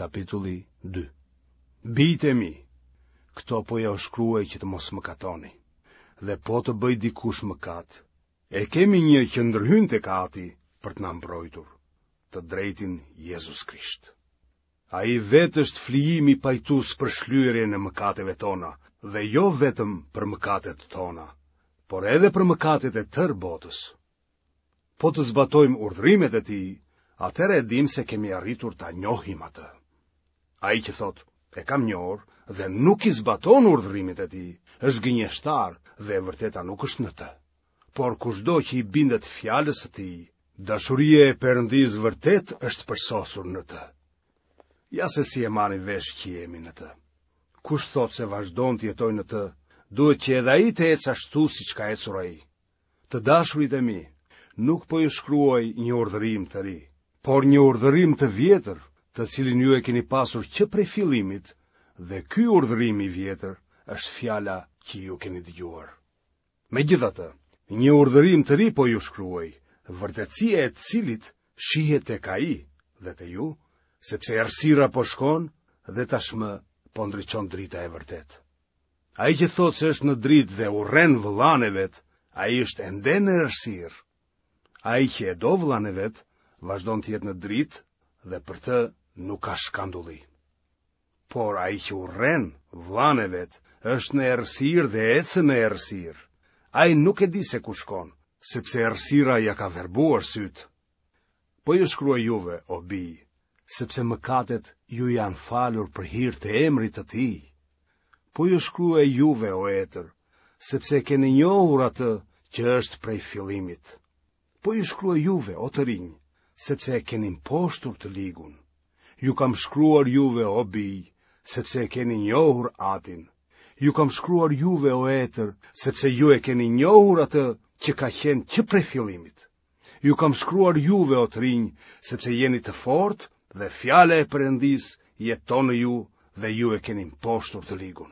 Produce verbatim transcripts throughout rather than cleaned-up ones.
Kapitulli dy. Bijtë e mi, këto po jua shkruaj që të mos mëkatoni. Dhe po të bëjë dikush mëkat, e kemi një që ndërhyn tek Ati për të na mbrojtur, të drejtin Jezus Krisht. Ai vetë është flijimi pajtues për shlyerjen e mëkateve tona, dhe jo vetëm për mëkatet tona, por edhe për mëkatet e tërë botës. Po të zbatojmë urdhërimet e tij, atëherë e dimë se kemi arritur ta njohim atë. Ai që thotë, e kam njohur dhe nuk i zbaton urdhërimet e tij, është gënjeshtar dhe e vërteta nuk është në të. Por kushdo që i bindet fjalës së tij, dashuria e Perëndisë vërtet është përsosur në të. Ja se si e marrim vesh që jemi në të. Kush thotë se vazhdon të jetojë në të, duhet që edhe ai të ecë ashtu siç ka ecur ai. Të dashurit e mi, nuk po ju shkruaj një urdhërim të ri, por një urdhërim të vjetër, të cilin ju e keni pasur që prej fillimit, dhe ky urdhërim i vjetër është fjala që ju keni dëgjuar. Megjithatë, një urdhërim të ri po ju shkruaj, vërtetësia e të cilit shihet tek ai dhe te ju, sepse errësira po shkon dhe tashmë po ndriçon drita e vërtetë. Ai që thotë se është në dritë dhe urren vëllanë e vet, ai është ende në errësirë. Ai që e do vëllanë e vet, vazhdon të jetë në dritë dhe për të nuk ka shkandulli. Por ai që urren vëllanë e vet, është në errësirë dhe ecën në errësirë. Ai nuk e di se ku shkon, sepse errësira ia ka verbuar sytë. Po ju shkruaj juve, o bij, sepse mëkatet ju janë falur për hir të emrit të tij. Po ju shkruaj juve, o etër, sepse e keni njohur atë që është prej fillimit. Po ju shkruaj juve, o të rinj, sepse e keni mposhtur të ligun. Ju kam shkruar juve, o bij, sepse e keni njohur Atin. Ju kam shkruar juve, o etër, sepse ju e keni njohur atë që ka qenë që prej fillimit. Ju kam shkruar juve, o të rinj, sepse jeni të fortë dhe fjala e Perëndisë jeton në ju dhe ju e keni mposhtur të ligun.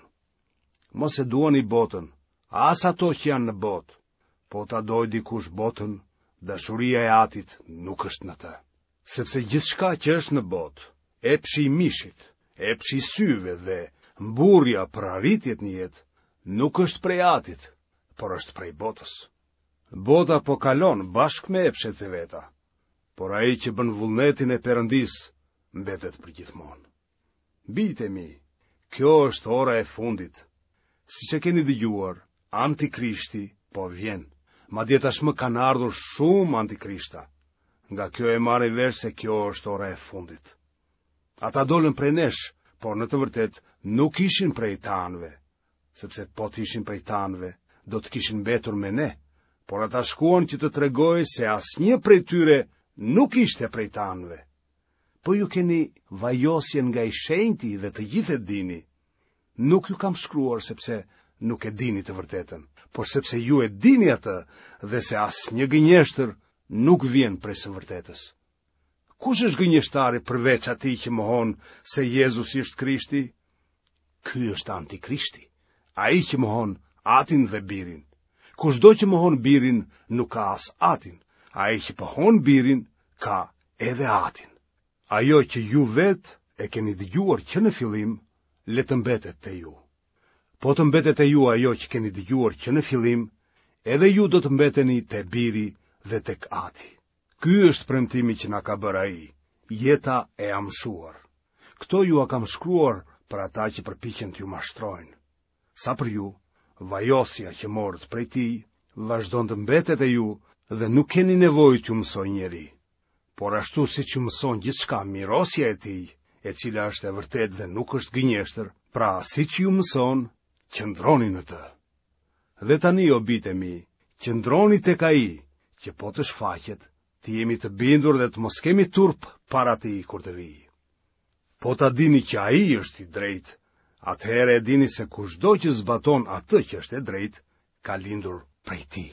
Mos e duani botën, as ato që janë në botë. Po ta dojë dikush botën, dashuria e Atit nuk është në të. Sepse gjithçka që është në botë, epshi i mishit, epshi i syve dhe mburrja për arritjet në jetë, nuk është prej Atit, por është prej botës. Bota po kalon bashkë me epshet e veta, por ai që bën vullnetin e Perëndisë mbetet përgjithmonë. Bijtë e mi, kjo është ora e fundit. Siç e keni dëgjuar, Antikrishti po vjen. Madje tashmë kanë ardhur shumë antikrishta. Nga kjo e marrim vesh se kjo është ora e fundit. Ata dolën prej nesh, por në të vërtetë nuk ishin prej tanëve, sepse po të ishin prej tanëve, do të kishin mbetur me ne, por ata shkuan që të tregojë se asnjë prej tyre nuk ishte prej tanëve. Po ju keni vajosjen nga i shenjti dhe të gjithë e dini. Nuk ju kam shkruar sepse nuk e dini të vërtetën, por sepse ju e dini atë dhe se asnjë gënjeshtër nuk vjen prej së vërtetës. Kush është gënjeshtari përveç atij që mohon se Jezusi është Krishti? Ky është antikrishti, ai që mohon Atin dhe Birin. Kushdo që mohon Birin nuk ka as Atin, ai që pohon Birin ka edhe Atin. Ajo që ju vetë e keni dëgjuar që në fillim, le të mbetet te ju. Po të mbetet te ju ajo që keni dëgjuar që në fillim, edhe ju do të mbeteni te Biri dhe tek Ati. Ky është premtimi që na ka bërë ai, jeta e amshuar. Këto jua kam shkruar për ata që përpiqen t'ju mashtrojnë. Sa për ju, vajosja që morët prej tij vazhdon të mbetet e ju dhe nuk keni nevojë t'ju mësojë njeri. Por ashtu siç ju mëson gjithçka mirosja e tij, e cila është e vërtetë dhe nuk është gënjeshtër, pra siç ju mëson, qëndroni në të. Dhe tani, o bijtë e mi, qëndroni tek ai, që po të shfaqet, të jemi të bindur dhe të mos kemi turp para tij kur të vijë. Po ta dini që ai është i drejtë, atëherë e dini se kushdo që zbaton atë që është e drejtë, ka lindur prej tij.